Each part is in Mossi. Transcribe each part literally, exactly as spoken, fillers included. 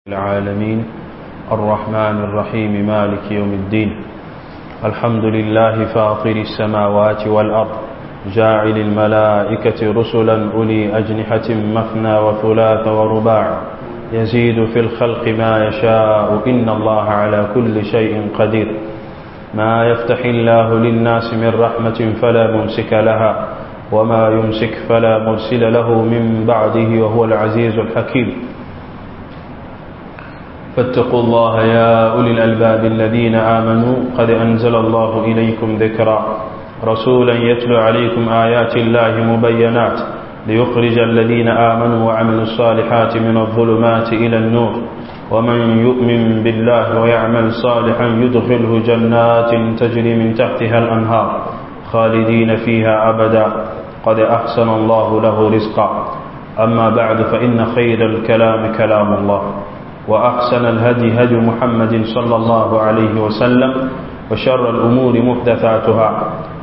العالمين الرحمن الرحيم مالك يوم الدين الحمد لله فاطر السماوات والأرض جاعل الملائكة رسلا أولي أجنحة مثنى وثلاث ورباع يزيد في الخلق ما يشاء إن الله على كل شيء قدير ما يفتح الله للناس من رحمة فلا ممسك لها وما يمسك فلا مرسل له من بعده وهو العزيز الحكيم فاتقوا الله يا أولي الألباب الذين آمنوا قد أنزل الله إليكم ذكرا رسولا يتلو عليكم آيات الله مبينات ليخرج الذين آمنوا وعملوا الصالحات من الظلمات إلى النور ومن يؤمن بالله ويعمل صالحا يدخله جنات تجري من تحتها الأنهار خالدين فيها أبدا قد أحسن الله له رزقا أما بعد فإن خير الكلام كلام الله وأحسن الهدي هدي محمد صلى الله عليه وسلم وشر الأمور محدثاتها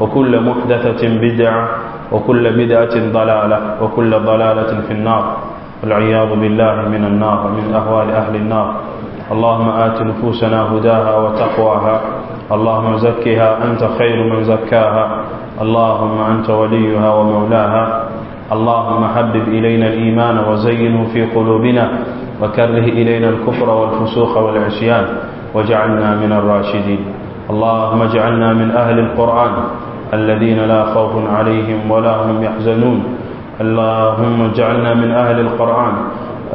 وكل محدثة بدعة وكل بدعة ضلالة وكل ضلالة في النار والعياذ بالله من النار ومن أهوال أهل النار اللهم آت نفوسنا هداها وتقواها اللهم زكها أنت خير من زكاها اللهم أنت وليها ومولاها اللهم حبب إلينا الإيمان وزينه في قلوبنا وكره إلينا الكفر والفسوق والعصيان واجعلنا من الراشدين اللهم اجعلنا من أهل القرآن الذين لا خوف عليهم ولا هم يحزنون اللهم اجعلنا من أهل القرآن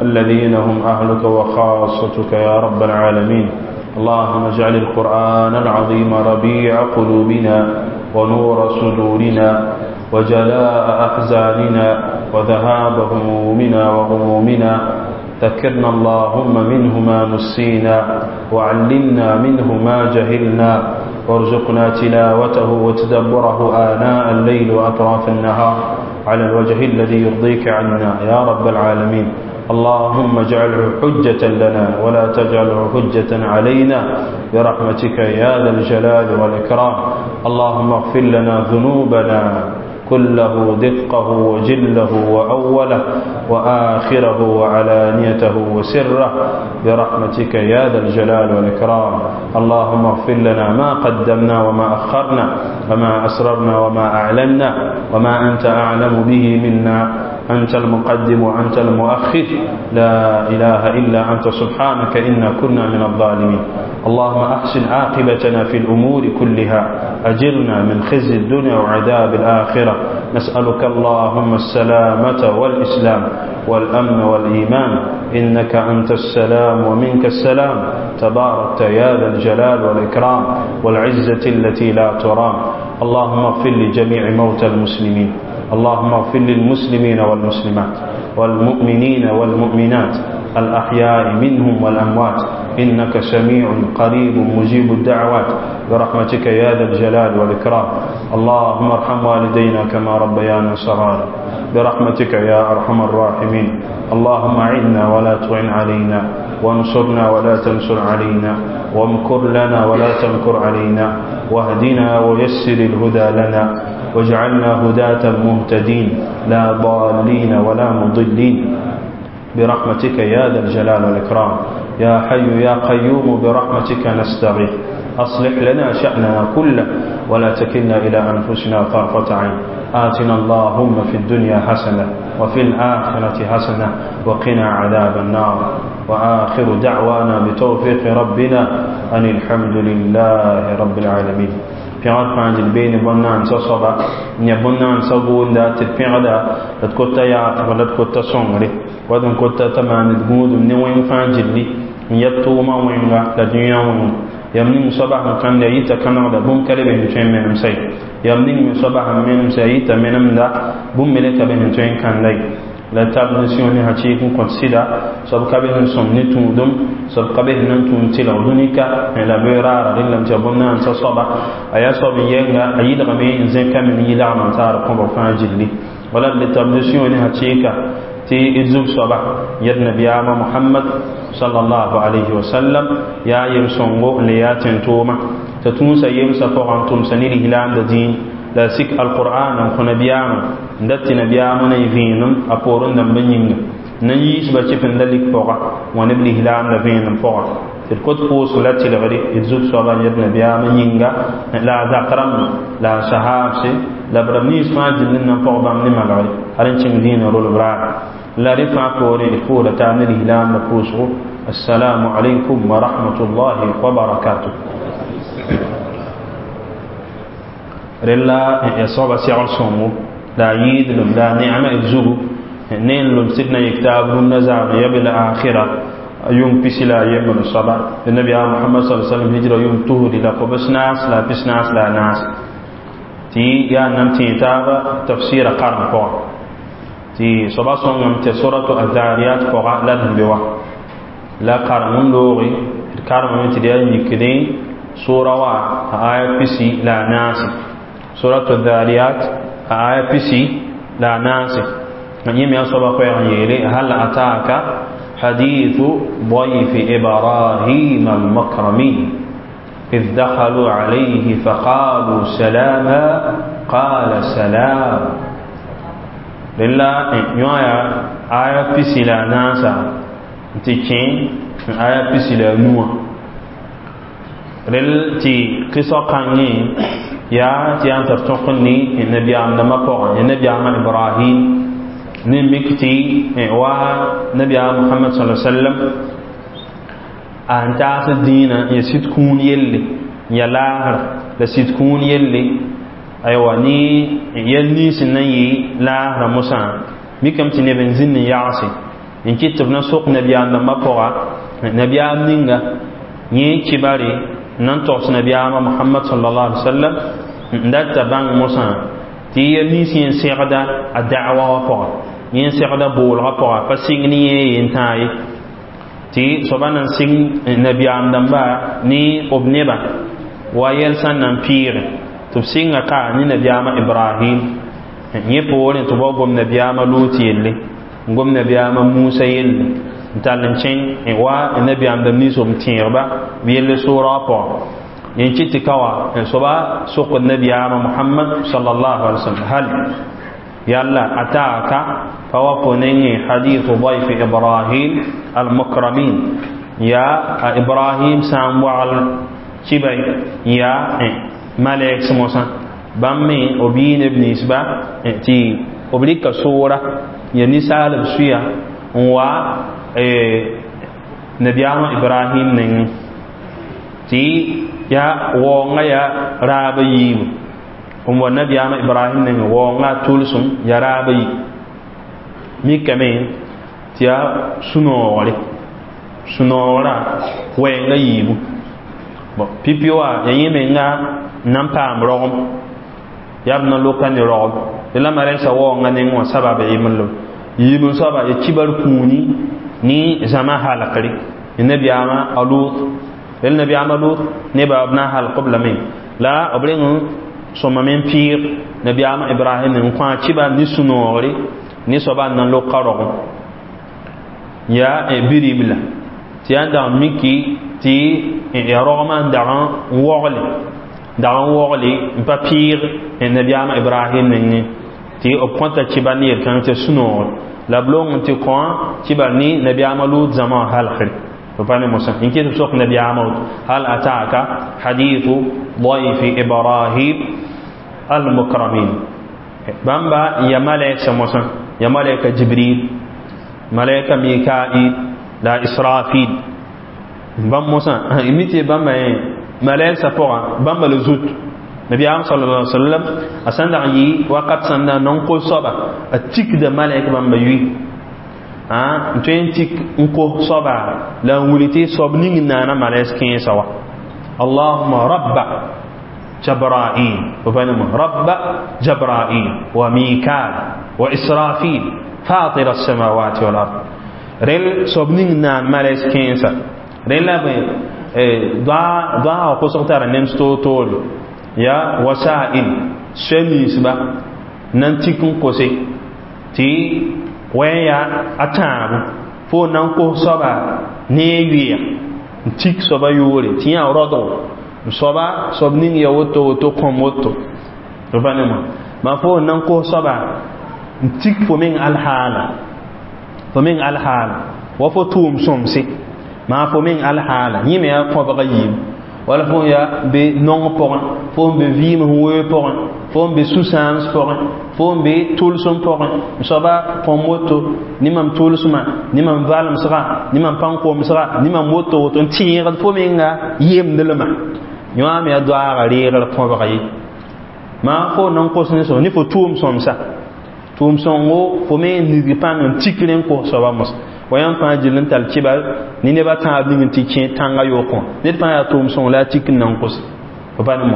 الذين هم أهلك وخاصتك يا رب العالمين اللهم اجعل القرآن العظيم ربيع قلوبنا ونور صدورنا وجلاء أحزاننا وذهاب همومنا وغمومنا ذكرنا اللهم منه ما نسينا وعلمنا منه ما جهلنا وارزقنا تلاوته وتدبره آناء الليل وأطراف النهار على الوجه الذي يرضيك عنا يا رب العالمين اللهم اجعله حجة لنا ولا تجعله حجة علينا برحمتك يا ذا الجلال والإكرام اللهم اغفر لنا ذنوبنا كله دقه وجله وأوله وآخره وعلانيته وسره برحمتك يا ذا الجلال والإكرام اللهم اغفر لنا ما قدمنا وما أخرنا وما أسررنا وما أعلنا وما أنت أعلم به منا أنت المقدم وأنت المؤخر لا إله إلا أنت سبحانك إنا كنا من الظالمين اللهم أحسن عاقبتنا في الأمور كلها أجرنا من خزي الدنيا وعذاب الآخرة نسألك اللهم السلامة والإسلام والأمن والإيمان إنك أنت السلام ومنك السلام تباركت يا ذا الجلال والإكرام والعزة التي لا ترام اللهم اغفر لجميع موتى المسلمين اللهم اغفر للمسلمين والمسلمات والمؤمنين والمؤمنات الأحياء منهم والأموات إنك سميع قريب مجيب الدعوات برحمتك يا ذا الجلال والإكرام اللهم ارحم والدينا كما ربيانا صغارا برحمتك يا أرحم الراحمين اللهم أعنا ولا تعن علينا وانصرنا ولا تنصر علينا وامكر لنا ولا تمكر علينا واهدنا ويسر الهدى لنا واجعلنا هداة مهتدين لا ضالين ولا مضلين برحمتك يا ذا الجلال والإكرام يا حي يا قيوم برحمتك نستغيث أصلح لنا شأننا كله ولا تكلنا إلى أنفسنا طرفة عين آتنا اللهم في الدنيا حسنة وفي الآخرة حسنة وقنا عذاب النار وآخر دعوانا بتوفيق ربنا أن الحمد لله رب العالمين pẽgd fãa dɩl beene bõn-naandsã soaba n yã bõn-naandsã gʋʋnda tɩ d pẽgda la d kota yaafg la d kota sõngre wat n kota t'a maand gũudum ne wẽng fãa gilli n yɛb tʋʋmã wẽnga la dũniyã wẽnga yam ning soaba sẽn kãnda yita kãnegda bũmb ka le be sẽn tõe n menemsa ye yam ning me soaba sẽn menemsa yita menemda bũmb me le ka be sẽn tõe n kãnda ye la tab ne sĩo ne hakɩɩk n kõt sɩda soab ka be sẽn sõm ne tũudum soab ka be sẽn na n tũud tɩlg dũnika la bee raara rẽndame tɩ yaa bõn-naandsã soaba a yaa soab n yɛnga a yɩlgame n zẽkame ne yɩlgm n taar kõbg fãa gilli wala d le tab ne sĩo ne hakɩɩka tɩ d zug soaba yɛd nabiyaamã mohamad sallallahu alayhi wa sallam yaa yem-sõngo n le yaa tẽn-toomã t'a tũusa yemsã pʋgã n tʋmsa ne lislaamda dĩin la sik alqur'an n kõ nabiyaamã n dat tɩ nabiyaamã na y vẽenem a poorẽ dãmbã yĩnga Na yiisba chɩf n da lik pʋga wã neb lislaam la vẽenem pʋga tɩ d kot pʋʋsg la tɩlgre d zug-soabã yed nabiyaamã yĩnga la a zak rãmba la a sahaabse la b rãmb nins fãa dĩnd n na n pɔg bãmb ne malgre hal n kẽng dĩinã rolb raare la rẽ fãa poorẽ d pʋʋsda taab ne lislaam la pʋʋsgo. Assalamu alaikum wa rahmatullahi wa barakatuh. Rella ya soaba segl sõngo la a yɩɩdlem la a neema d zugu ne n lem sɩd na yik taab rũndã zaame ya bil akhira yʋng pisi la a yembr soaba nabiyaam Mohamad sa sallam hijra yʋng tusdi la kobs naas la pis naas la a naas tɩ yaa n nan tẽe taaba tafsɩɩra karem pʋgã tɩ soaba sõngame tɩ suratu azariyat pʋga la d sẽn be wa la karem n looge d karemame tɩ d yaa yikdẽ sʋʋra wa a aya pisi la a naase suratu zariyat a aya pisi la a naase yẽme yaa soaba koɛɛg n yeele hal ataka حديث ضيف إبراهيم المكرمين إذ دخلوا عليه فقالوا سلاما قال سلام. لله يوايا آية بسلا ناسا تكين آية بسلا نوى رل تي قصة قاني يا تي أنت تقني النبي عم لما قرأ النبي عم إبراهيم نمكتي و نبي محمد صلى الله عليه وسلم أن تعس الدين يسيد كون يلي يا لاهر لسيد كون يلي أيوة ني يلني سنني لاهر موسى ميكم تنبن زين يعصي إن كتب نسوق نبي لما قرأ نبي نينغا ني كباري ننتوس نبي محمد صلى الله عليه وسلم ندت بان موسى تي يلني سين سيغدا الدعوة وقرأ yẽ segda boolgã pʋga pa sɩng ne yẽ yen tãa ye tɩ soaba nan sɩng nabiyaam dãmba ne b nebã wa yɛl sẽn nan pɩɩge tɩ b sɩnga ka ne nabiyaamã Ibrahim yẽ poorẽ tɩ b wa gom nabiyaamã Lut yelle n gom nabiyaamã Musa yelle n tall n kẽng wa nabiyaam dãmb nins b tẽegba b yelle soorã wã pʋgã yẽ kɩt tɩ ka wa soaba sokd nabiyaamã Muhammad sallallahu alaihi wasallam hal يلا أتاك فوقنني حديث ضيف إبراهيم المكرمين يا إبراهيم سام وعل كبي يا ملك موسى بامي أبين ابن إسبا تي أبليك صورة يا نسال بسيا و نبي إبراهيم نين تي يا وونغا يا رابيم n wa nabiyaama Ibrahim nengẽ waoongã tʋlsem ya raaba yi mikame tɩ yaa sũ-noogre sũ-noogrã wɛɛngã yiibu pipi wa ya yẽ menga n na n paam rogem yaa b na loka ne rogem tɩ la marensa waoongã nengẽ wã sabab yemb yiib n soaba ya kibar kũuni ne zãma halkre nabiyaama a Lut rel nabiyaama Lut nebã b na n halk b lame la b reng sõma men pɩɩg nabiyaama Ibrahim n kõ a kiba ne sũ-noogre ne soaba n na n lok ka rogem yaa biribla tɩ yaa n dag miki tɩ ya rogmã n dag n wogle dag n wogle n pa pɩɩg nabiyaama Ibrahim nengẽ tɩ b kõta kiba ne yel-kãng tɩ sũ-noogre la b long n tɩ kõ kiba ne nabiyaama Lut zãma wã halkre فبان موسى إن كنت سوق نبي عمود هل أتاك حديث ضيف إبراهيم المكرمين بامبا يا ملائكة موسى يا ملائكة جبريل ملائكة ميكائيل لا إسرافيل بام موسى إمتى بامبا ملائكة فوق بامبا لزوت نبي عام صلى الله عليه وسلم أسند عي وقت سند ننقل صبا التك ده ملائكة بامبا يوي n tõe n tik n kos soaba la n wilg tɩ soab ning n naana malɛs kẽesã wa allahuma rabba jabrail rabba jabrail wa mikal wa israfil fatir alsamawati wal ard rel soab ning n naan malɛs kẽesã rel la bõe doa kosg tara nems toor-toore ya wasail soa ninsba na n tik n kose tɩ wẽn yaa a tãabo fo na n kos soaba ne a yʋɩɛg n tik soaba yʋʋre tɩ yã rodgo n soaba soab ning ya woto woto kõm woto pa ne ma fo na n kos soaba n tik fo meng alhaala Fo meng alhaala wa fo tʋʋm sõmse maa fo meng alhaala yẽ me yaa kõbga yiib wala fo yaa be nong pʋgẽ fo n be vɩɩm sẽn weoog pʋgẽ fo n be sũ-sãams pʋgẽ fo n be tʋlsem pʋgẽ m soaba põm woto ne mam tʋlsmã ne mam valemsga ne mam pãn-komsga ne mam woto woto n tẽegd fo menga yemdlmã yõa me yaa doaaga reegr põbg ye maa fo nan kos ne so ne fo tʋʋm sõmsa tʋʋm sõngo fo me n nidg pãng n tikr n kos soaba mos wa yãmb fãa gill n tall kɩba ne nebã tãab ning n tɩ kẽ tãngã yookẽ ned fãa yaa tʋʋm sõng la a tik n nan kos fo pa ne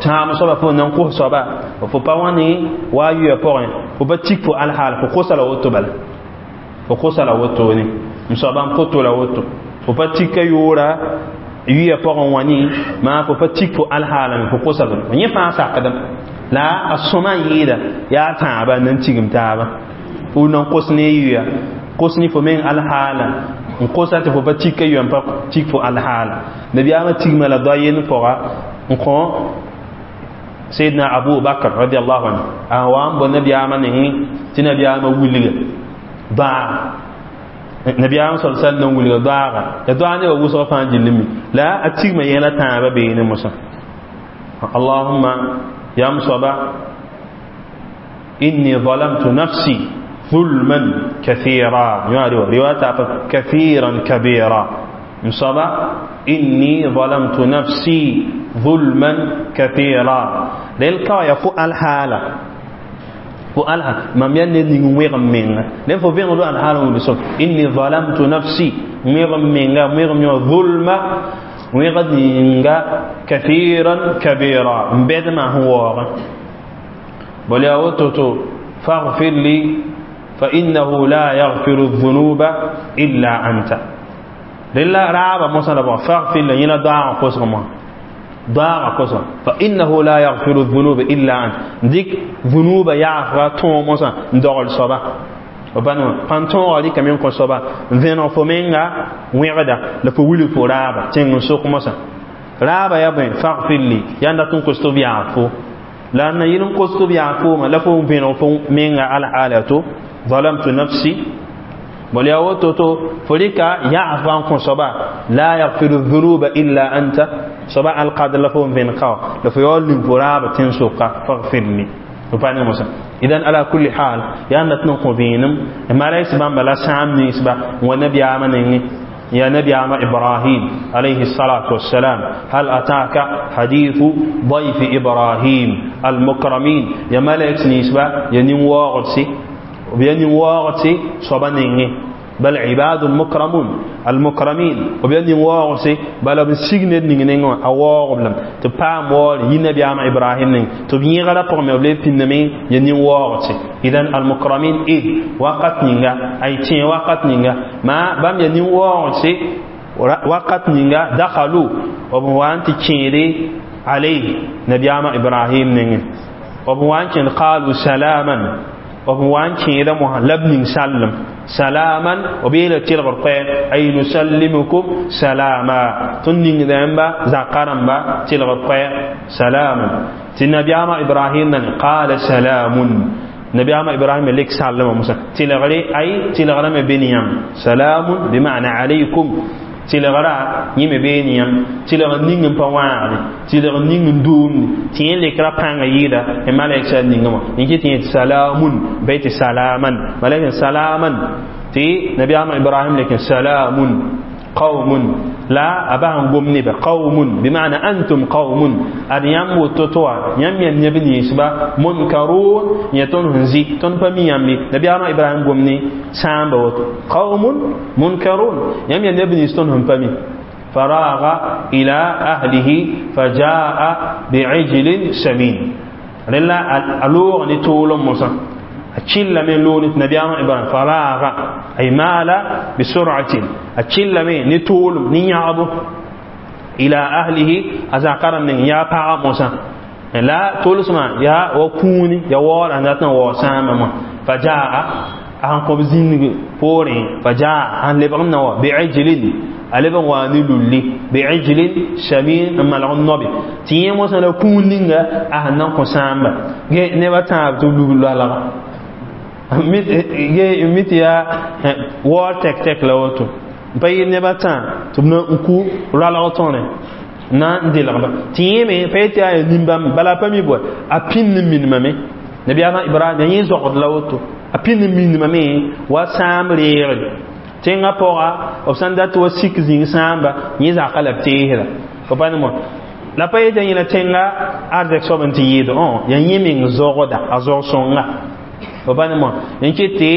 tãam soaba fo nan kos soaba fo pa wã ne wa a yʋya pʋgẽ fo pa tik fo alhaal fo kosa la woto bala fo kosa la wotone m soaba n poto la woto fo pa tika yoora yʋya pʋgẽ wã ne maa fo pa tik fo alhaalame fo kosa la yẽ fãa sakdem la a sõma yɩɩda yaa tãaba n nan tigim taaba fo nan kos ne yʋya kos ne fo meng alhaala n kosa tɩ fo pa tika yʋya n pa tik fo alhaala nabiyaamã tigma la doa yend pʋga n kõ Sayyidina Abu Bakr radiyallahu anhu a wa n bo nabiyaamã nengẽ tɩ nabiyaamã wilga doaaga nabiyaamã sal sallam n wilga doaaga ya doaag nebã wʋsg fãa gillame la a tigma yẽla tãabã beene mosã allahumma yam soaba inni zalamtu nafsi ظلما كثيرا رواية كثيرا كبيرا مصابة إني ظلمت نفسي ظلما كثيرا للكا يفو الحالة فو الحالة ما مين نيغم من لين فو فين الحالة بسوف إني ظلمت نفسي ميغم من ميغم ظلما ويغد كثيرا كبيرا بعد ما هو بل يا فاغفر لي فإنه لا يغفر الذنوب إلا أنت لله رابع مثلا فاغفر لي ينا دعاء قسم دعاء قسم فإنه لا يغفر الذنوب إلا أنت ديك ذنوب يغفر تو مثلا دغل صبا وبانو بانتون غادي كمين كون صبا فينو فومينغا ويغدا لفو ويلو فو رابع تين سوق مثلا رابع يا بين فاغفر لي ياندا تون كوستو بيعفو لأن يلن كوستو بيعفو ما لفو فينو فومينغا على حالته ظلمت نفسي بل يا وتوتو فريكا يعفو عنكم صبا لا يغفر الذنوب إلا أنت صبا القادر لفهم فين قاو لفيول فراب تنسوقا فاغفر لي وبعدين موسى إذن على كل حال يا نتنقو بينم ما ليس بام بلا سام نسبة ونبي آمنني يا نبي عم إبراهيم عليه الصلاة والسلام هل أتاك حديث ضيف إبراهيم المكرمين يا ملك نسبة يا نواغسي وبين واغسي صبنيني بل عباد مكرمون المكرمين وبين واغسي بل بسيغن نينغ اواغبلم تبا مول ينبي عم إبراهيم نين تبين غلا برومي بلي بينمي ين واغسي إذن المكرمين إيه وقت نينغا أي تين وقت نينغا ما بام ين واغسي وقت نينغا دخلوا وبوان تكيري عليه نبي عم إبراهيم نين وبوان قالوا سلاما وبوان كيدا لبن سلم سلاما وبيلا تلغر قين أي نسلمكم سلاما تنين ذنبا زقرنبا تلغر قين سلاما تنبي عم إبراهيم قال سلام نبي عم إبراهيم لك سلم موسى تلغري أي تلغرم بنيام سلام بمعنى عليكم تلغرا يم بنيام تلغ نين بوان تلغ نين دون تين لكرا بان يدا مالك سنين إنك تين سلام بيت سلاما مالك سلاما تي نبي عم إبراهيم لكن سلام قوم لا أباهم قوم قوم بمعنى أنتم قوم أن يمو تطوع يم يم يبني يسبا منكرون يتون هنزي تون فمي يمي نبي عم إبراهيم قومني سامبوت قوم منكرون يم يم يبني يستون هم فمي فراغ إلى أهله فجاء بعجل سمين لله ألوغ نتولم موسى أتشل من لون نبي إبراهيم فراغ أي مال بسرعة أتشل من نتول نيعب إلى أهله أزاقر من يا باع موسى لا تولسما يا وكوني يا وار أنتنا وسام فجاء أن قبزين بورين فجاء أن لبغنا بعجل ألبغ وانلولي بعجل سمين أما النبي تيم موسى لو كونينغا أهنا قسام نبا تاب تلولو Mi tɩ yaa waoor tɛk-tɛk la woto n pa yɩ neb a tã tɩ b na n ku roalg tõre na n delgba tɩ yẽme pa yetɩ yaa ya nin-bãmb bala a pa mi bɔe a pĩnd n minimame nabiyaamã Ibrahim ya yẽ zogd la woto a pĩnd n minimame wa sãam reegre tẽngã pʋga b sãn dat wa sik zĩig sãamba yẽ zaka la b teesda fo pa ne la pa yetɩ yẽla tẽnga arzɛk soab n tɩ yɩɩd õ ya yẽ meng zogda a zog sõnga fo pa ne mo n ket tɩ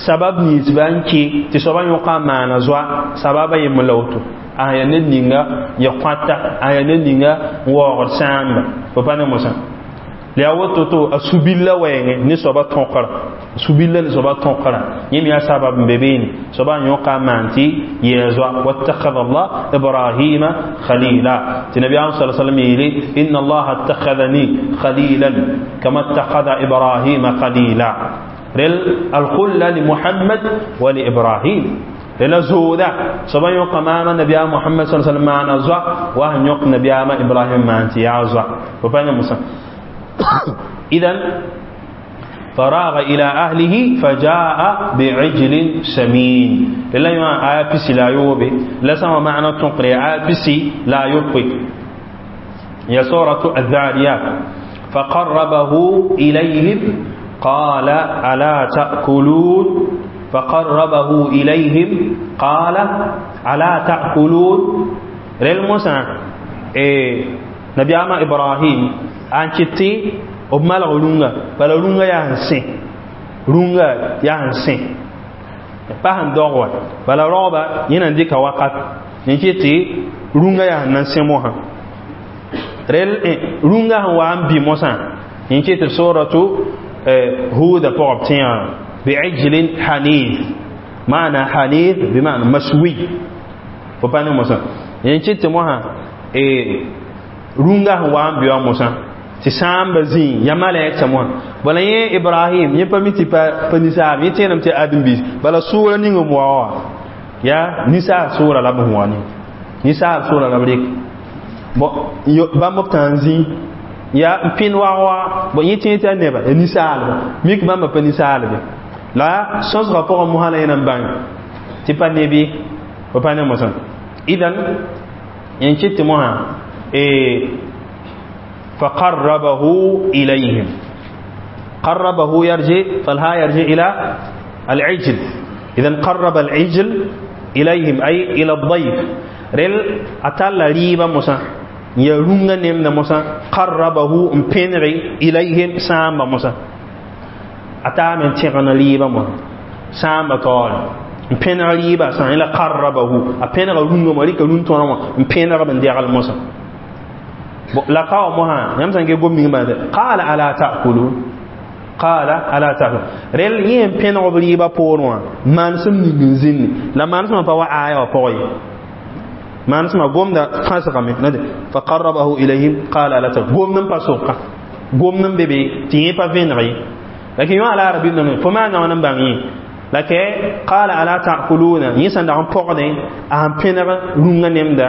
sabab ninsbã n ke tɩ soabã yõka n maana zoa sababa yembr la woto a ya ned ninga ya kõata a ya ned ninga n waoogd sãamba fo pa ne mosã la yaa woto to a su-billa wɛɛngẽ ne soabã tõkra su-billa ne soabã tõkra yẽ me yaa sabab n be beene soabã n yõka n maan tɩ yɛɛ zoa wattakhadha Allah Ibrahima khalila tɩ nabiyaam sa sallam yeele inna Allaha ittakhadhani khalilan kama ittakhadha Ibrahima khalila rel alkhulla li Muhammad wa li Ibrahim rela zooda soabã yõka maama nabiyaam Muhammad sa sallam maana zoa wa sẽn yõk nabiyaamã Ibrahim maan tɩ yaa zoa fo pa ne mosã إذن فراغ إلى أهله فجاء بعجل سمين لله يوم آية بسي لا يوبي لا سما معنى تنقري آية بسي لا يوبي يا سورة الذاريات فقربه إليهم قال ألا تأكلون فقربه إليهم قال ألا تأكلون للموسى إيه نبي أما إبراهيم an kɩtɩ b malg rũngã bala rũngã yaa n sẽ rũngã yaa n sẽ pa sẽn dog wa bala raooba yẽ na n dɩka wakat n kɩ tɩ rũngã yaa sẽn na n sẽ mosã rel rũngã sẽn wa n bɩ mosã n kɩ tɩ soratu Huda pʋgb tẽega bi'ijlin hanif maana hanif bima'na maswi fo pa ne mosã n kɩ tɩ mosã rũngã sẽn wa n bɩ wa mosã tɩ sãamba zĩig ya malɛk moã bala yẽ Ibrahim yẽ pa mi tɩ pa ninsaab yẽ tẽename tɩ ãdem-biis bala sʋʋra ning n wa wã yaa ninsaab sʋʋra la b sẽn wa ne ninsaab sʋʋra la b rek bãmb b tã n zĩ yaa n pẽnd wag wa bõ yẽ tẽeg tɩ a neba ya ninsaalba mik bãmba pa ninsaalbe la sõsgã pʋgẽ mosã la yẽ na n bãng tɩ pa neb ye fo pa ne mosã idan n kɩt tɩ mosã فقربه إليهم قربه يرجع فالها يرجع إلى العجل إذن قرب العجل إليهم أي إلى الضيف رل أتلا ريبا موسى يرونغ نمنا موسى قربه امبنري إليهم سامبا موسى أتا من تيغنا ريبا موسى سامبا طول امبنري ريبا سامبا إلى قربه أبنري رونغ مريكا رونغ امبنري من ديغل موسى la kawa moha yãmb sã n ge gom ning bãmb qaala ala ta'kulun qaala ala ta'kulun rel yẽ n pẽneg b rɩɩbã poorẽ wã manesem ning n zĩnni la manesmã pa wa aya wã pʋgẽ ye manesmã gomda fãsgame fa qarrabahu ilayhim qaala ala ta'kulun gomd n pa soka gomd n be be tɩ yẽ pa vẽneg ye lakin yõ ala arabi name fo maana wã n bãng yẽ la ke qaala ala ta'kuluna yẽ sẽn dag n pɔgdẽ a sẽn pẽneg rũngã nemda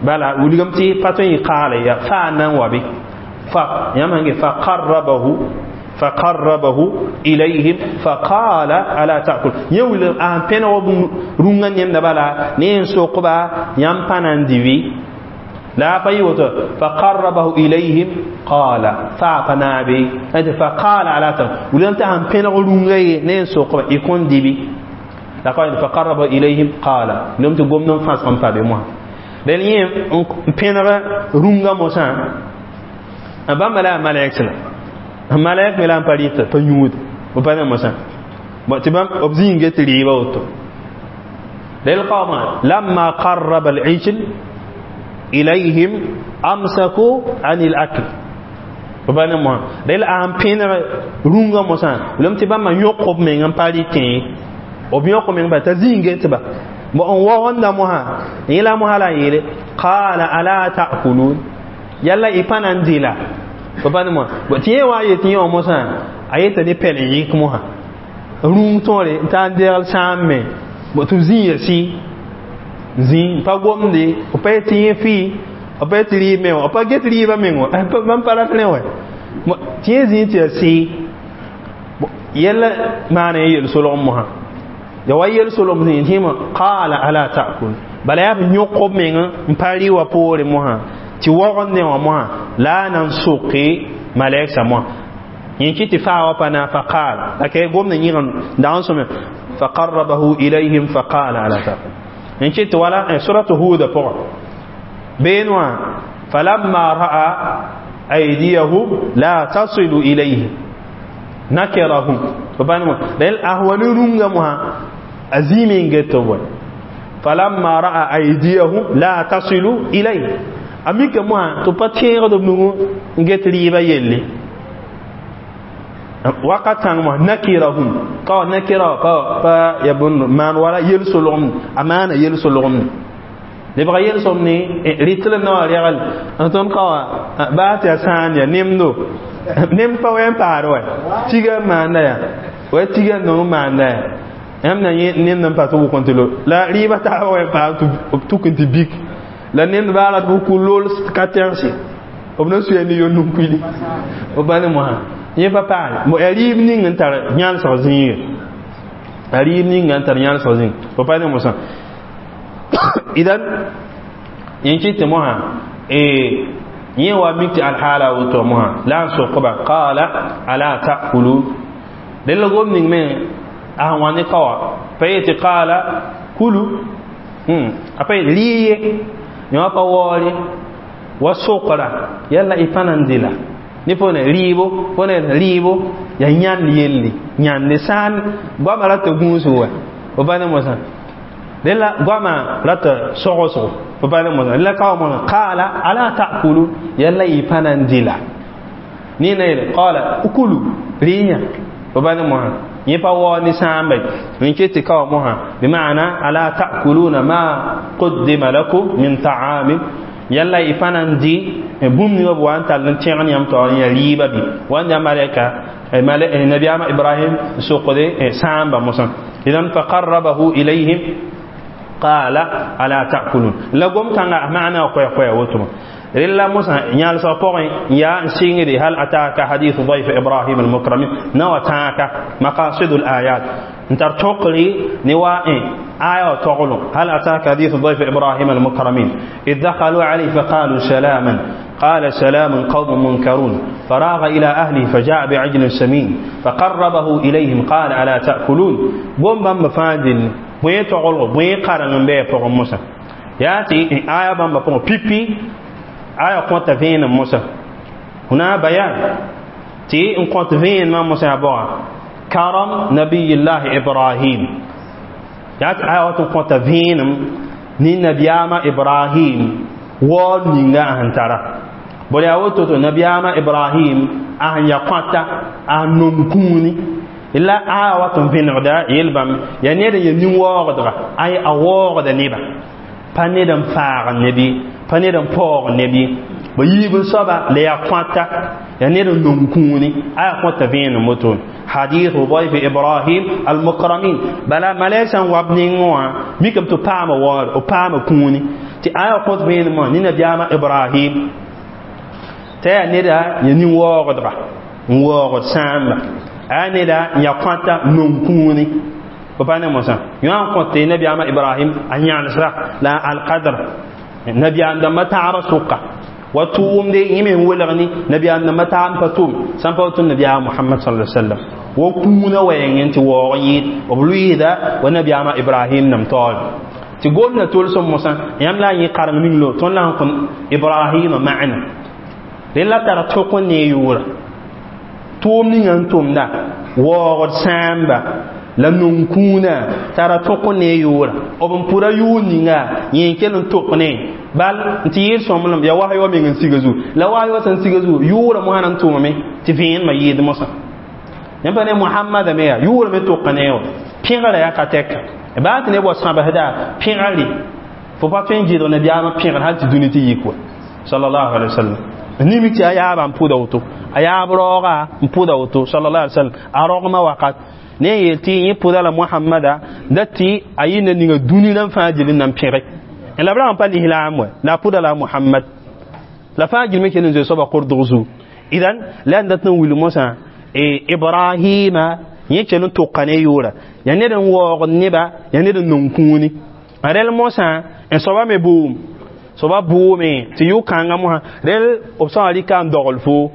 bala wilgame tɩ pa tõe n qaala ya fa nan wa be fa yãmb sãn ge fa qarrabahu fa qarrabahu ilayhim fa qala ala ta'kul yẽ wilg a sẽn pẽneg b rũngã nemda bala ne n sokba yãmb pa na n dɩ la pa yɩ woto fa qarrabahu ilayhim qala fa pa naabe fa qala ala ta'kul wilgame tɩ sẽn pẽneg rũngã ye ne n sokba y kõn dɩ la fa qarrabahu ilayhim qala wilgame tɩ gomd n fãsg n pa be mosã rel yẽ n pẽneg rũngã mosã bãmba la a malɛk la malɛk me la n pa rɩta pa yũud b pa ne mosã tɩ bãmb b zĩig get rɩɩbã woto rel qaoomã lamma qarraba al-ijl ilayhim amsaku an al-akl b pa ne mosã rel a n pẽneg rũngã mosã lem tɩ bãmba yõk b meng n pa rɩtẽ b yõk b meng pa t'a zĩig get ba n waoonda mosã yẽ la mosã la n yeele qaala ala ta'kulun yalla y pa na n dɩla fo pa ne mosã tɩ yẽ wa n yet yẽ wã mosã a yeta ne pɛl n yɩk mosã rũng tõore n taa n degl sãam me tɩ b zĩ ya sɩ zĩ pa gomde b pa yet tɩ yẽ fɩ b pa yet tɩ rɩɩb me wã b pa get rɩɩbã meng wã bãmb pa rat rẽ wã tɩ yẽ zĩ tɩ ya sɩ Yɛla maana yel solg mosã ya wa yel solg sẽn tɩ qala ala ta'kul bala yaa b yõk b meng n pa rɩ wã poore mosã tɩ wogende wã mosã la a na n soke malɛksa mosã yẽ kɩ tɩ faa wa pa na faqal la ka gomda yẽg dag n sõme faqarrabahu ilayhim faqala ala ta'kul yẽ kɩ tɩ wala suratu huda pʋgã been wã falamma ra'a aydiyahum la tasilu ilayhi nakirahum bal ahwani runga moha azimi ngeto boy falamma ra'a aydiyahum la tasilu ilayhi amika moha to patẽegd b nugu n get rɩɩbã yelle wakat kãng mosã nakirahum ka nakira pa pa ya bõnd maan wala yel-solgem a maana yel-solgem lebga yel-sõm ne rɩtl n na wã regl n tõnd ka wã baa tɩ yaa sãan ya nemdo nem pa wɛ n paad wɛ tiga n maanda ya wa tiga n nong maanda ya yãmb na yẽ nemd n pa tɩ wʋk n tɩ lo la rɩɩbã taabã wɛ n paam tɩ b tuk n tɩ bik la nemd baa rat b kʋ lool ka tẽgse b na suya ne yond n kuili b pa ne mosã yẽ pa paale yaa rɩɩb ning n tar yãlsg zĩige yaa rɩɩb ninga n tar yãlsg zĩig b pa ne mosã idan yẽ kɩ tɩ mosã yẽ wa mik tɩ alhaala woto mosã la n sokba qala ala ta'kulun dẽl gom ning me a sẽn wa ne kaoa pa yetɩ tɩ qala kulu a pa yet rɩ ye yẽ wã pa waoore wa sokra yalla y pa na n dɩla ne pone rɩɩbo pone rɩɩbo yaa yãnd yelle yãnde sãn goamã rata gũusg wa b pa ne mosã dẽla goamã rata sogsgo b pa ne mosã la kao mosã qala ala ta'kulun yalla y pa na n dɩla ne na yeele qala ukulu rɩ yã b pa ne mosã yẽ pa waoog ne sãamba n ket tɩ kao mosã bima'ana ala ta'kuluna ma quddima lakum min ta'amin yalla y pa na n dɩ bũmb ninga b wa n tall n tẽgd yãmb taoor n yaa rɩɩbã bɩ wa n yaa malɛka nabiyaamã ibrahim n sokde sãamba mosã idan faqarrabahu ilayhim qala ala ta'kulun la gom kãnga maana koɛ-koɛ wotoma rella mosã yãlsg pʋgẽ yaa n sɩngde hal ataka hadithu dayf ibrahim almukramin na wa tãaka maqasidu layat n tar tõkre ne wa aya wa toglo hal ataka hadithu dayf ibrahim almukramin id dakhalu alayhi faqalu salaman قال سلام قوم منكرون فراغ إلى أهله فجاء بعجل سمين فقربه إليهم قال ألا تأكلون بوم بام فاندل بوين تغلو بوين قارن بي بوغ موسى ياتي آية بام بوغ بيبي آية كونت فين موسى هنا بيان تي إن كونت فين ما موسى بوغ كرم نبي الله إبراهيم ياتي آية كونت فين ni nabiyama Ibrahim wall ninga ahantara bõe yaa woto to nabiyaamã ibrahim a sẽn ya kõata a sẽn nom kũuni la a wat n vẽnegda yel bãmb yaa ned n ya nin-waoogdga ay a waoogda neba pa ned n faag neb ye pa ned n paoog neb ye ba yiib n soaba la yaa kõata yaa ned n nom kũuni a yaa kõta vẽenem wotone حديث ضيف إبراهيم المكرمين بلا ملائكة وابنين ميكم تبام وار وبام كوني تي آية قد بين ما نينا بياما إبراهيم تي نيدا يني واغدغا واغد سامبا آية نيدا يقاتا نمكوني بابانا موسى يوم قلت نبي أما إبراهيم أن يعنسرا لا القدر نبي عندما تعرى سوقا وتوم دي يمين ولغني نبي عندما تعم فتوم سنفوت النبي محمد صلى الله عليه وسلم وكونا وين وغيد وبلويدا ونبي أما إبراهيم نمتول تقول نتول سم موسى يملا يقارن من لو تون لهم إبراهيم معنا للا ترى تكون نيورا توم نين توم دا وغد سامبا la non-kũunã tara tõk ne yʋʋra b n pʋda yʋʋr ninga yẽ kell n tok ne bal n tɩ yɩɩd sõmblem yaa wasy wa meng n siga zugu la wasy wa sẽn siga zugu yʋʋra mosã na n tʋmame tɩ vẽenemã yɩɩd mosã yãmb pa ne mohamada me yaa yʋʋra me tok ne wa pẽgra yaa ka tɛka baa tɩ neb wa sãbsda pẽgre fo pa tõe n gɩdg nabiyaamã pẽgr hal tɩ dũni tɩ yik wa sallallahu alaihi wasallam nimik tɩ a yaabã n pʋda woto a yaab raooga n pʋda woto sallallahu alaihi wasallam a rogmã wakat ne yel tɩ yẽ pʋda la mohamada da tɩ a yɩnda ninga dũni rãmb fãa gil n na n pẽge la b rag n pa lislaam wɛ la a pʋda la mohamad la fãa gilme kell n zoe soaba kordg zugu idan la n dat n wilg mosã ibrahima Yẽ kell n tʋka ne yʋʋra yaa ned n waoogd neba, yaa ned n nong kũuni rɛl mosã n soaba me boom soaba bʋʋme tɩ yʋ-kãngã mosã rel b sã wã rɩka n dogl fo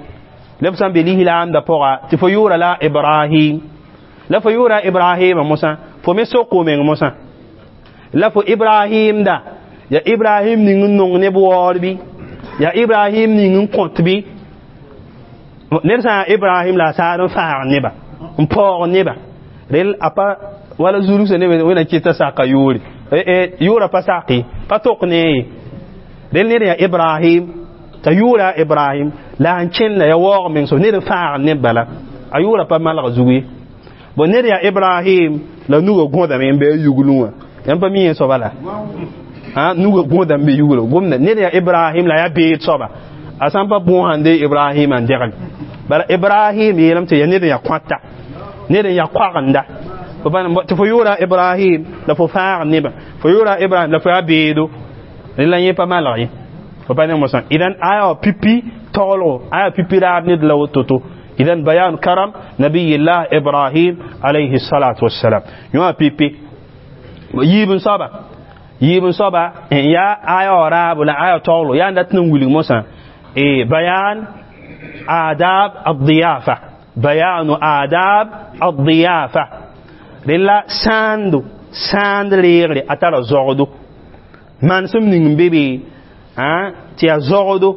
la b sã n be lislaamdã pʋga tɩ fo yʋʋra la Ibrahim, la fo yʋʋra Ibrahima mosã, fo me sok fo meng mosã la fo Ibrahim da ya Ibrahim ning n nong neb waoor bɩ ya Ibrahim ning n kõt bɩ ned sã n Ibrahim la a saad n faag neba n paoog neba rel a pa wala zulugsa neb wẽna kɩta saka yʋʋre yʋʋra pa sake pa tok ne ye rel ned yaa Ibrahim t'a yʋʋra Ibrahim la n kẽnda ya waoog meng so ned n faag neb bala a yʋʋra pa malg zug ye bon ned yaa Ibrahim la nuga gõdame n be a yuglẽ wã yãmb pa mi yẽ soaba la nuga gõda n be yuglo gomda ned yaa Ibrahim la yaa beed soaba a sã n pa bõosã n de Ibrahim n degl bala Ibrahim yeelame tɩ yaa ned n yaa kõata ned n yaa koagenda tɩ fo yʋʋra Ibrahim la fo faag nebã fo yʋʋra Ibrahim la fo yaa beedo rela yẽ pa malg ye fo pa ne mosã idan aya wa pipi taglgo aya pipi raab ned la woto-to idan bayan karam nabiyillah Ibrahim alayhi salatu wassalam yõ pipi yiib n soaba yiib n soaba n yaa aya wa raabo la aya taglgo yaa n dat n wilg mosã bayan adab الضيافة بيان آداب الضيافة rela sãando sãand reegre a tara zogdo manesem ning n be be tɩ yaa zogdo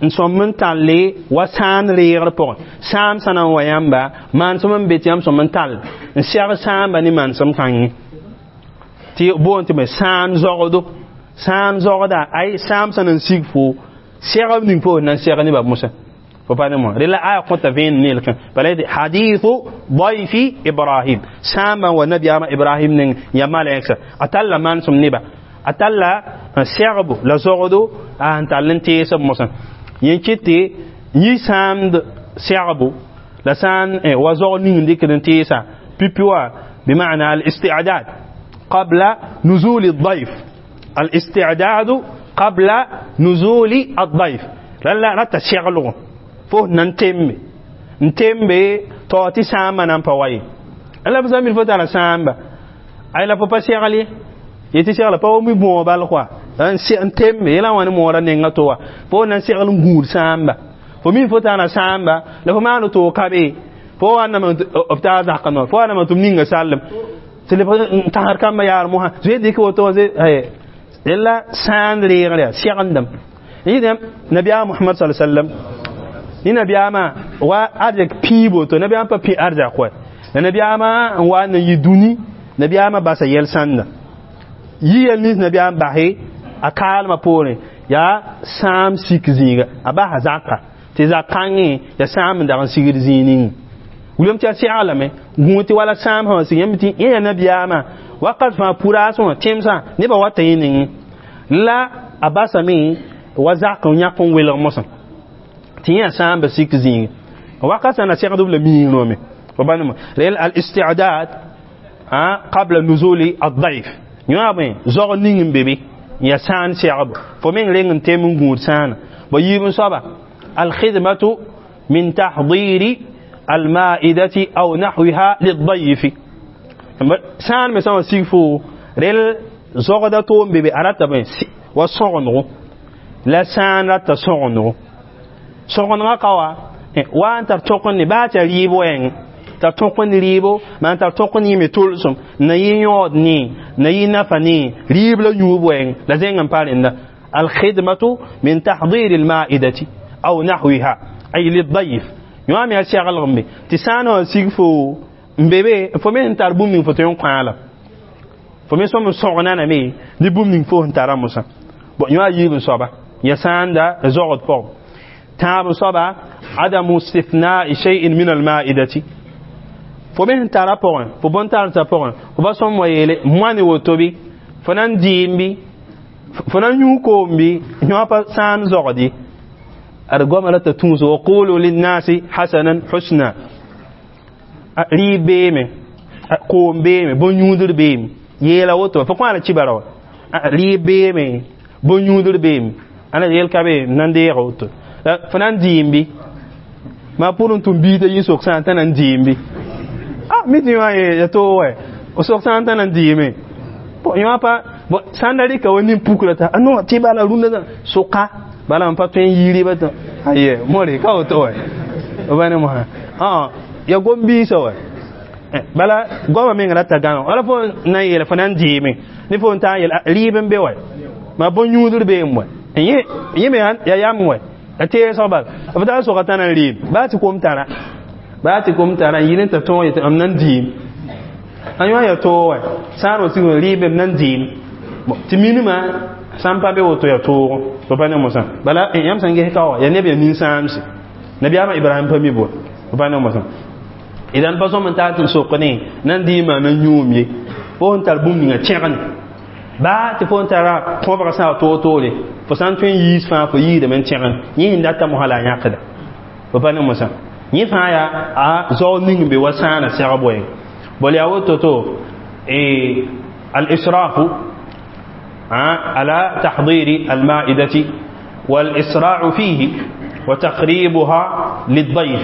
n sõm n tall wa sãand reegr pʋgẽ sãam sã na n wa yãmba manesem n be tɩ yãmb sõm n tall n sɛg sãamba ne manesem kãngẽ tɩ boond tɩ me sãam zogdo sãam zogda ay sãam sã na n sig fo sɛgb ning fo na n sɛg nebã mosã fo pa ne mo rela aya kõta vẽen nelkẽ bala yetɩ hadithu dayfi Ibrahim sãambã wa nabiyaamã Ibrahim ning ya malɛksa a talla manesem neba a talla n sɛgbo la zogdo a n tall n teesb mosã yẽ kɩt tɩ yĩ sãamd sɛgbo la sã n wa zog ning n dɩkd n teesa pipi wa بمعنى الاستعداد قبل نزول الضيف الاستعداد قبل نزول الضيف لا لا rata seglgo fo nan tembe n tembe tao tɩ sãambã na n pa wa ye la b zãmb fo tara sãamba ay la fo pa segl ye yetɩ segla pa wa mi bõog bal koa n tembe yẽla wã ne moorã nenga to wa fo na n segl n gũud sãamba fo mi fo tara sãamba la fo maan to ka be fo wãname b taa zaka no fo wãname tɩ m ninga sallem tɩ leb n tãsd kambã yaar mosã zoe dɩk woto rela sãand reegr yaa segendame yẽ nabiyaam Muhammad sallallahu alaihi wasallam ni nabiyaama wa arzɛk pĩig woto nabiyaam pa pĩ arzɛk wɛ la nabiyaamã n wa n yɩ dũni nabiyaamã basa yɛl sãnda yi yɛl nins nabiyaam base a kaalmã poorẽ yaa sãam sik zĩiga a basa zaka tɩ zak kãngẽ yaa sãam n dag n sigd zĩig ning wilame tɩ a seglame gũu tɩ wala sãam sã sig yãmb tɩ yẽ yaa nabiyaamã wakat fãa puraasẽ wã tẽmsã nebã wata yẽ nengẽ la a basame wa zak n yãk n welg mosã tɩ yẽ sãamba sik zĩig wakat sã na segd b la miig noome fo ba nema rel al isti'dad qabla nuzuli ad-dayf yõ bõe zog ning n be be ya sãan segbo fo meng reng n tem n gũud sãana bo yiib n soaba alkhidmatu min tahdiri almaidati aw nahwiha lidayfi sãan me sã wã sig fo rel zogda toom be be a rata bõe wa sõgendgo la sãan rata sõgendgo sõgendgã ka wa wa n tar tõk n ne baa tɩ rɩɩb wɛɛng tar tõk n rɩɩbo maan tar tõk n yɩme tolsem na yɩ yõod ne na yɩ nafa ne rɩɩb la yũub wɛɛng la zẽng n pa rẽnda alkhidmatu min tahdiri almaidati aw nahwiha ay lidayf yõ me a seglg n be tɩ sã n wã sig fo n be be fo me sẽn tar bũmb ning fo tõe n kãala fo me sõm n sõgenaname ne bũmb ning fo sẽn tara mosã bon yõ a yiib n soaba ya sãanda zogd pʋgẽ tãab n soaba adamu istithna'i shay'in min almaidati fo me sẽn tara pʋgẽ fo bõn-tarensã pʋgẽ fo ba sõm wa yeele moane woto bɩ fo na n dɩɩm bɩ fo na n yũ koom bɩ yõ pa sãan zogd ye ad goama rata tũus wa qulu linnasi hasanan husna rɩɩb beeme koom beeme bõn-yũudr beeme yeela woto fo kõ la kibara wa rɩɩb beeme bõn-yũudr beeme ãna yel ka be n na n deega woto fo na n dɩɩm bɩ maa pʋr n tʋm biig t'a yĩn sok sã n t'a na n dɩɩm bɩ mi tɩ yõ ya toog wɛ o sok sã n tã na n dɩɩme bon yõ pa bon sã n da rɩka wa nin-pukra t'a no tɩ bala rũndã soka bala n pa tõe n yɩ rɩba tɩ aye more ka woto wɛ b ne mosã ya gom-biisã wɛ bala goamã meng rata gãneg wala fo na n yeela fo na n dɩɩme ne fo n taa n yeel rɩɩb n be wɛ ma bõn-yũudr beem wɛ yẽ me ya yam wɛ a teesg bal b taa soga tã na n rɩɩb baa tɩ kom tara baa tɩ kom tara n yɩl n t'a tõog yetɩ m na n dɩɩm a yõ ya toog wɛ sã n wa sig rɩɩb m na n dɩɩm tɩ minimã sã n pa be woto ya toogo b pa ne mosã bala yãmb sẽn ges ka wa ya neb ya nin-sãamse nabiyaamã ibrahim pa mi bo b pa ne mosã idan pa sõm n taa tɩ n sok ne na n dɩɩmã na n yũum ye fo sẽn tar bũmb ninga tẽgne baa tɩ fo n tara kõbg sã toor-toore fo sã n tõe n yiis fãa fo yiidame n tẽgen yẽ sẽn data mosã la a yãkda fo pa ne mosã yẽ fãa yaa a zao ning n be wa sãana sɛgb wɛɛng bol yaa woto-to al-israfu على تحضير المائدة والإسراع فيه وتقريبها للضيف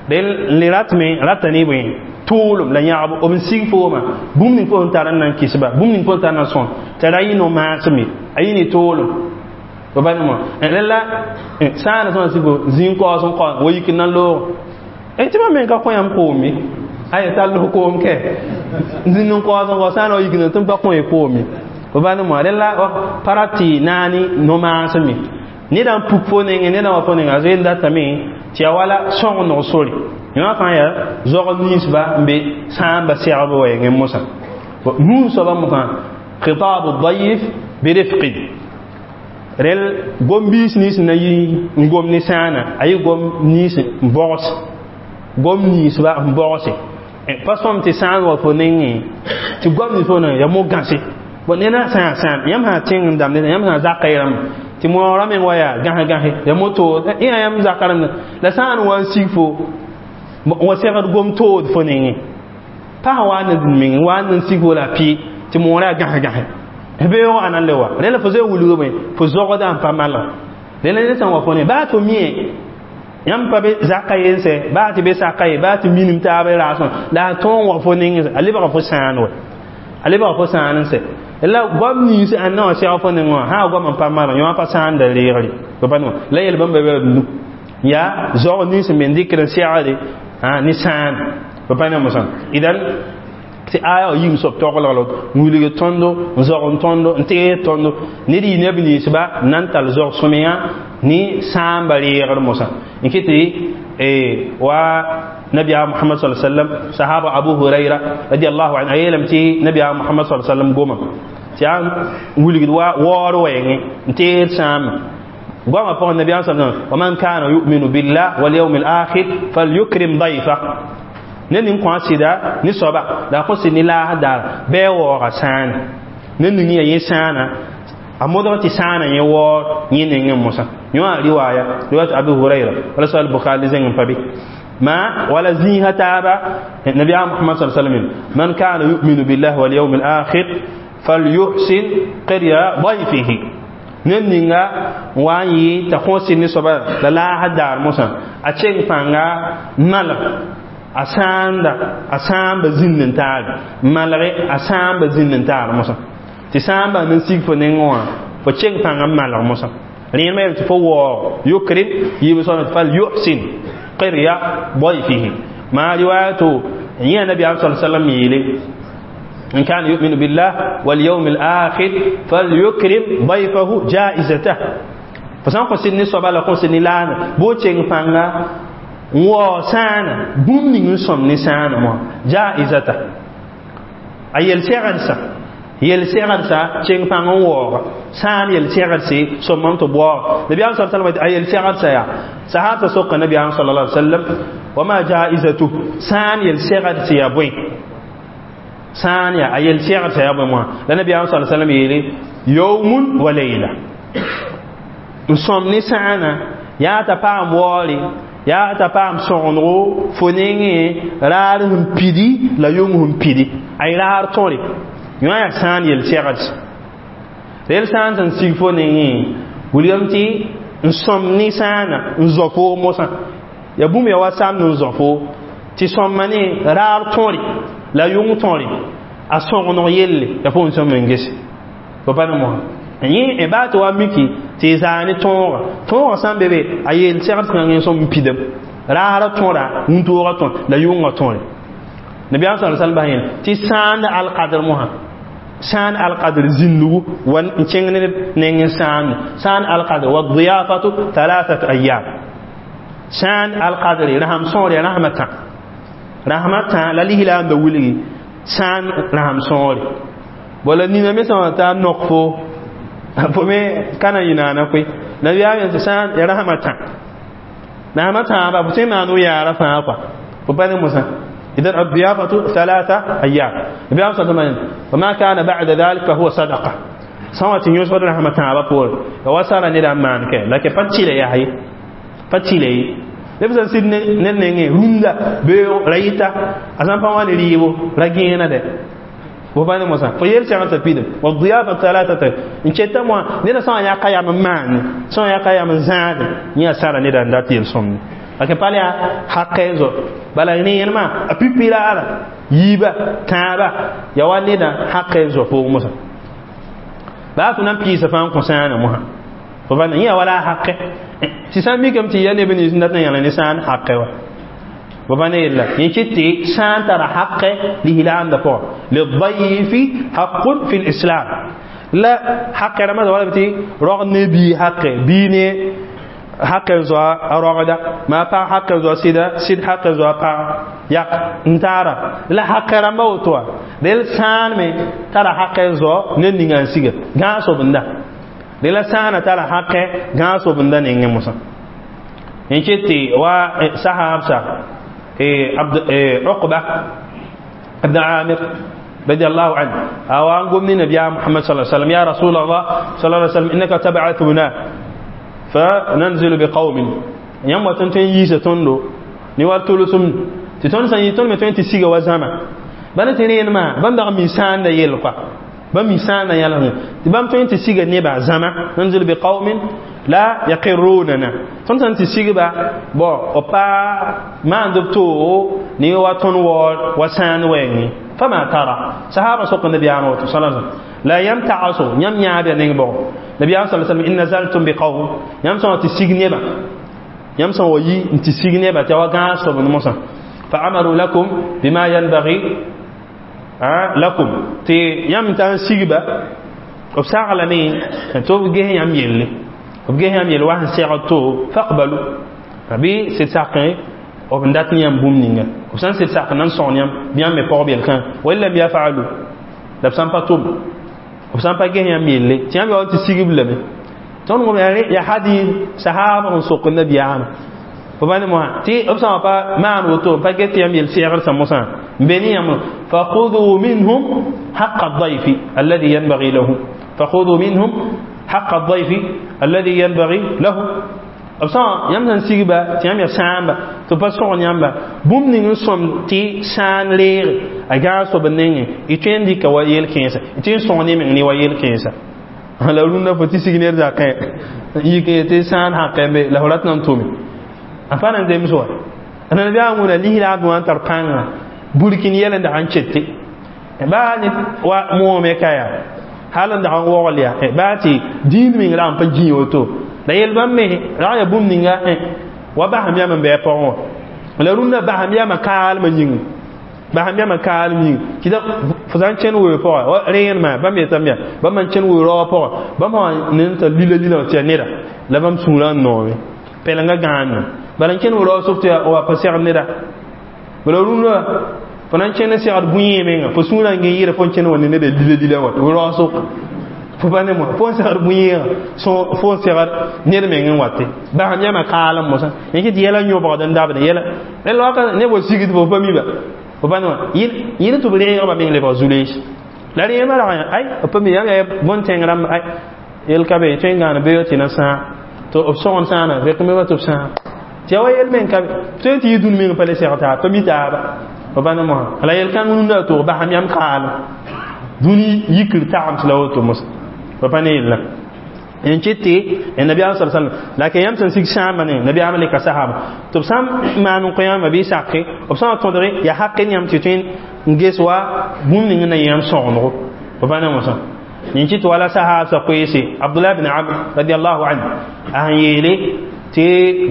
del ratme ratani bõe tuulum la yãgb b n sig fooma bũmb ning fo sẽn tar n na n kɩsba bũmb ning fo sẽn tar n na n sõn t'a ra yɩ no-maasem ye a yɩ ne toolum b pa nemo rẽla sãana sõma sig fo zĩig kaoos n kao wa yik n na n loog tɩ mam me ka kõ yãmb koom ye aya tall f koom kɛ zĩnd n kaoos n kao sãana wa yik n tɩ m pa kõ ye koom ye b pa nemo rẽla pa rat tɩ naani no-maasem ye neda n puk fo nengẽ neda wa fo nengã a zoe n datame tɩ ya wala sõngnog sore yõ fãa yaa zog ninsba n be sãamba segb wɛɛngẽ mosã nuun soabã mosã khitabu dayif birifqin rel gom-biis nins na yi n gom ne sãana a yɩ gom nins n bogs gom ninsba n bogse pa sõm tɩ sãan wa fo nengẽ tɩ gom nins fo nengẽ ya mo-gãse bon neda sã sãam yãmb sã tẽng n dãmb yãmb sã zaka y rãmb tɩ moorã meng wa yaa gãs gãse ya moto yã yãmb zaka rãmb la sã n wa n sig fo wa segd gom tood fo nengẽ pas wa n meng wa n sig fo la pɩ tɩ moorã yaa gãs gãse beoog ãna le wa rẽla fo zoe wilgame fo zogda n pa malg rẽla ned sã n wa fo ne baa tɩ mie yãmb pa be zaka yen sɛ baa tɩ be saka ye baa tɩ minim taab raasẽ la a tõog n wa fo nengẽ a lebga fo sãan wa a lebga fo sãan n sɛ la goam nins ãnna wã sɛg fo nengẽ wã sã goam n pa malg yõ pa sãanda reegre pa ne la yel bãmba bɩ b nu yaa zog nins n me dɩkd n segde ne sãan pa pa ne mosã idan tɩ aya wa yĩng soab toglg la n wilg tõndo n zog n tõndo n tees tõndo ned yɩ neb ninsba n na n tall zog sõmyã ne sãamba reegr mosã n kɩ tɩ wa nabiya muhammad sallallahu alaihi wasallam sahaba abu huraira radiyallahu anhu a yeelame tɩ nabiya muhammad sallallahu alaihi wasallam goma tɩ yaa wilgd wa waoor wɛɛngẽ n teed sãambã goamã pʋgẽ nabiyaam sa wa man kana yu'minu billah wal yawm al akhir falyukrim dayfa ned ning kõ a sɩda ne soaba la a kõ sɩd ne laas daar bɩ a waooga sãana ned ning yaa yẽ sãana a modg tɩ sãana yẽ waoor yẽ nengẽ mosã yõ a riwaaya riwayat abu huraira wala sal bukhari zẽng n pa be ما ولا زيها تابا النبي محمد صلى الله عليه وسلم من كان يؤمن بالله واليوم الآخر فليحسن قرية ضيفه ننينغا واني تخوسي نسبة لا هدار موسى أتشين فانغا مال أساندا أسان بزين تار مالغ أسان بزين تار موسى تسان بنسيك فنينغوا فتشين فانغا مال موسى لين ما يتفوق يكرم يبصر فليحسن قرية ضيفه ما روايته هي النبي صلى الله عليه وسلم يلي إن كان يؤمن بالله واليوم الآخر فليكرم ضيفه جائزته فسان قسني صبا لا قسني لان بوچين فانغا وسان بوم نين سوم ني سان مو جائزته ايل سيغرسا yel segrsa ceng pãng n waooga sã n yel segrse sõmam tɩ baoog nabiyaam sa sallam a yel segrsa yaa sahaba soka nabiyaam sallallahu alaihi wasallam wa ma jaizatu sã n yel segrse yaa bõe sã n yaa a yel segrsa yaa bõe moã la nabiyaam sallallahu alaihi wasallam yeele yawmun wa layla n sõm ne sãana yaa t'a paam waoore yaa t'a paam sõgendgo fo nengẽ raar sẽn pidi la yʋng sẽn pidi a y raar tõre yõ yaa sãan yel segd rel sã n sẽn sig fo nengẽ wilgame tɩ n sõm ne sãana n zõ foo mosã ya bũmb ya wa samd n zõ foo Tɩ sõmma ne raar tõre la yʋng tõre a sõgeneg yelle ya pʋgẽ sõm n gese fo pa ne mosã yẽ baa tɩ wa miki tɩ y zaa ne tõoga tõoga sã n be be a yeel segd kãngẽ n sõm n pidem raara tõra wũntoogã tõr la yʋngã tõre nabiyaam sa sallam bas yẽl tɩ sãand alkadr mosã sãan alkadr zĩndugu wa n kẽng ned neng n sãande sãan alkadr wa diyafatu thalathat ayyam sãan alkadre rasam sõor ya rasma tã rasma tã la lislaamda wilgi sãan rasam sõore wala nina me sã n t'a nok fo fo me kana yɩ naana koe nabiyaam yẽn tɩ sãan ya rasma tã rasma tãaba fo tõe n maan yaara fãa kɔa fo pa ne mosã. إذن الضيافة ثلاثة أيام. النبي صلى الله عليه وسلم وما كان بعد ذلك فهو صدقة. سوى تنيوس رحمة الله بقول وصار ندم مانك لكن فتشيله يا هي فتشيله لبس سيد ننني روندا بيو رايتا أسام فواني ريبو رجينا ده وبان موسى فيل شغل تبيد والضيافة ثلاثة إن شئت موا نيدا سوى يا قيام مان سوى يا قيام زاد نيا سارة ندم داتيل سومني. لكن بالي حقه bala rẽenema a pipi raara yiiba tãaba ya wa neda haq n zo pʋgẽ mosã baa fo na n piisa fãa n kõ sãana mosã fo pa yẽ wala a haqe tɩ sã n mikame tɩ ya neb nins n dat n yãl ne sãan haqe wa fo pa ne yella yẽ kɩt tɩ sãan tara haqe lislaamda pʋgã lidayfi haqun fi lislam la haqe rãmbã wala tɩ rog ne bii haqe bii ne haq n zoa a rogda maa pag haq n zoa sɩda sɩd haq n zoa pag yak n taara la haq rãmba woto wã del sãan me tara haq n zo ned ninga n siga gãag sobenda de la sãana tara haq gãag sobenda nengẽ mosã n ket tɩ wa sahaabsa Uqba ibn Amir رضي الله عنه أو أنقم النبي محمد صلى الله عليه وسلم يا رسول الله صلى الله عليه وسلم إنك تبعثنا فننزل بقوم يوم تنتين يسا تندو نوار تولسم تتون سن يتون متون تسيغ وزاما بان ترين ما بان دغ ميسان دا يلقى بان ميسان دا يلقى بان تون تسيغ نيبا زاما ننزل بقوم لا يقروننا تون سن تسيغ با بو اوبا ما اندبتو ني واتون وور وسان وين فما ترى صحابه سوق النبي صلى الله عليه وسلم لا يمتعصوا يم يابا نينبو نبي صلى الله عليه وسلم إن نزلتم بقوم يم سوى تسيغ نيبا يم سوى يي تسيغ نيبا توا غاس بن موسى فأمروا لكم بما ينبغي لكم تي يم تان سيغبا وبساغلمي تو جه يم يلي وبجه يم يلي واحد سيغتو فاقبلوا ربي سيساقين وبندات نيام بوم نينغا وبسان سيساق نان سون يم بيان مي بور بيل كان وإلا يفعلوا لبسان باتوم وبسان با جه يم يلي تيام يوم تسيغب لمي تون غوم يا حديث صحابه سوق النبي عام فبان مو تي ابسان با ما وتو با جت يم يل سيغر سموسان بني يم فخذوا منهم حق الضيف الذي ينبغي له فخذوا منهم حق الضيف الذي ينبغي له ابسان يم سن سيغبا تيام يا سامبا تو با سون يamba bũmb ning n sõm tɩ sãan leege a gãag soab n nengẽ y tõe n dɩka wa yel-kẽensã y tõe n sõg ne meng ne wa yel-kẽensã la rũndã fo tɩ sig ned zakẽ yik tɩ sãan haqẽ be la fo rat na n tʋme a pa na n zems wa nabiyaam wũna lislaam wã n tar pãnga burkin yɛl n dag n kete baa ne wa moome ka yaa hal n dag n wogl yaa baa tɩ dĩin meng rag n pa gĩ woto la yel bãmb me rag ya bũmb ninga wa basam yam n bɩ a pʋgẽ wã la rũndã basam yamã kaalmã yĩnga basam yamã kaalm yĩnga kɩta fo sã n kẽn weoog pʋga wa rẽenemã bãmb yetame yaa bãmb n kẽn weoog raoog pʋga bãmb sã ne n tar lila lila tɩ yaa neda la bãmb sũurã n noome pɛlenga gãandã bala n kẽn weoog raoog sʋk tɩ wa pa segd neda bala rũndã fo na n kẽn n segd bũyẽ menga fo sũurã n gẽ yɩɩra fo n kẽn wa ne neda lila lila wa weoog raoog sʋk fo pa ne mo fo n segd bũyẽegã fo n segd ned meng n wate basam yamã kaalem mosã yẽ kɩ tɩ yɛla yõbgd n dabd yɛla rẽnd waka neb wa sigd fo pa miba fo pa ne wã yɩl tɩ b reegba meng lebg zu-lees la rẽemã rag ay b pa mi yãmb yaa bõn-tẽng rãmb ay yel ka be tõe n gãan beoog tɩ na sãa tɩ b sõgen sãana rek me wa tɩ b sãa tɩ yaa wa yel meng ka be tõe tɩ yɩ dũni meng pa le seg taa pa mi taaba fo pa ne mosã la yel-kãng rũndã a tog basam yam kaalem dũni yikr tagem tɩ la woto mosã fo pa ne yella En kɩtɩ nabiyaam sal sallam la ke yãmb sẽn sig sãambã ne nabiyaam le ka sahaba tɩ b sã n maan n kõ yãmba bɩ sake b sã n tõdge yaa haq n yãmb tɩ tõe n ges wa bũmb ning n na yãmb sõgendgo b pa ne mosã yẽ kɩtɩ wala sahab sa koeese Abdullah bin Amr radiallahu anhu a sẽn yeele tɩ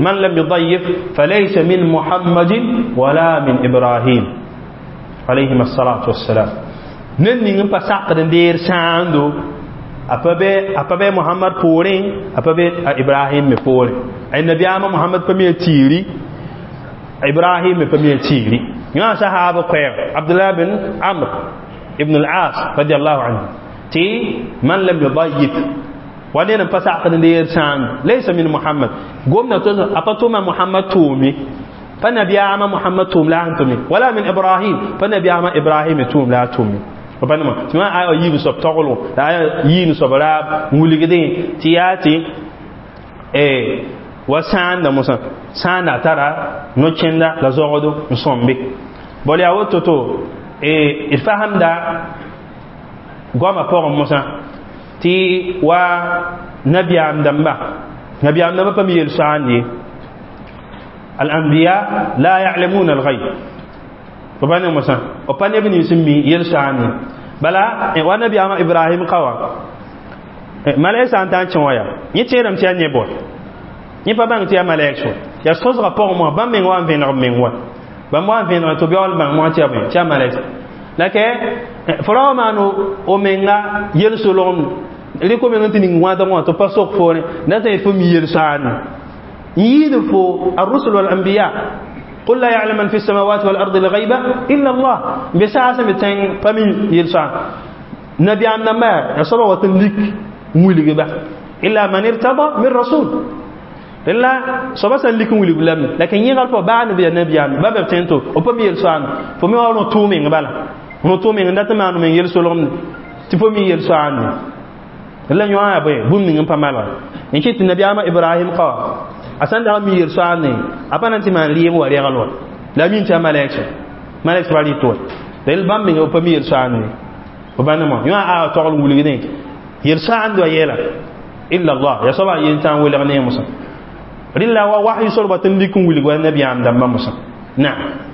man lam yudayif falaysa min Muhammadin wala min Ibrahim alayhim assalatu wassalam ned ning n pa sakd n deer sãando a pa be a pa be Muhammad poorẽ a pa be a Ibrahim me poorẽ ay nabiyaamã Muhammad pa me tiiri Ibrahim me pa me tiiri yã sahaba koɛɛg Abdullah bin Amr ibn al-As radiallahu anhu tɩ man lam yudayif wa ned n pa sakd n deer sãando laysa min Muhammad gomna to a pa tʋma Muhammad tʋʋme pa nabiyaamã Muhammad tʋʋm la a sẽn tʋme wala min Ibrahim pa nabiyaamã Ibrahim me tʋʋm la a tʋme pa nema tɩ wã aya yiib soab taglgo la aya yiib soab raab n wilgdẽ tɩ yaa tɩ wa sãanda mosã sãanda a tara no-kẽnda la zogdo n sõmbe bal yaa woto to d fasemda goamã pʋgẽ mosã tɩ wa nabiyaam dãmba nabiyaam dãmba pa mi yel-soaand ye al-anbiya la ya'lamuna al-ghayb pa ne mosã b pa neb nins n mi yel-soaand ye bala wa nabiyaamã Ibrahim ka wã malɛk sã n ta n kẽ wã yaa yẽ tẽedame tɩ yaa neb wa yẽ pa bãng tɩ yaa malɛk sʋ yaa sõsgã pʋgẽ mosã bãmb meng wa n vẽneg b meng wa bãmb wa n vẽneg tɩ beool bãng mosã tɩ yaa bõe tɩ yaa malɛk la ke fo ra wa maan o menga yel-solgem rɩk o meng n tɩ ning wãdg wã tɩ pa sok foore na tã fo mi yel-soaand n yiid fo الرسل والأنبياء قل لا يعلم من في السماوات والأرض الغيب إلا الله بساعة بتين فمن يلسع نبي عمنا ما يصبح وتنلك مولي با إلا من ارتضى من رسول إلا صبا سنلك مولي بلم لكن يغال فبعد نبي نبي عم باب بتين تو وبم يلسع فمي وانو تومين بالا نو تومين عندما ما من يلسع تفمي يلسع la yõ a bõe bũmb ning n pa malga n kɩt tɩ nabiyaamã Ibrahim ka a sẽn dag n mi yel-soaand ne a pa na n tɩ maan rɩɩb wa regl wa la a min tɩ yaa malɛk malɛk soaba rɩt wa rel bãmb meng b pa mi yel-soaand ne b pa nemã yõ a aa togl n wilgdẽ yel-soaand wa yɛla illa Allah ya soaba a yen tã n welg ne mosã rɩla wa wahyi sor ba tɩ n lik n wilg wa nabiyaam dãmbã mosã naam.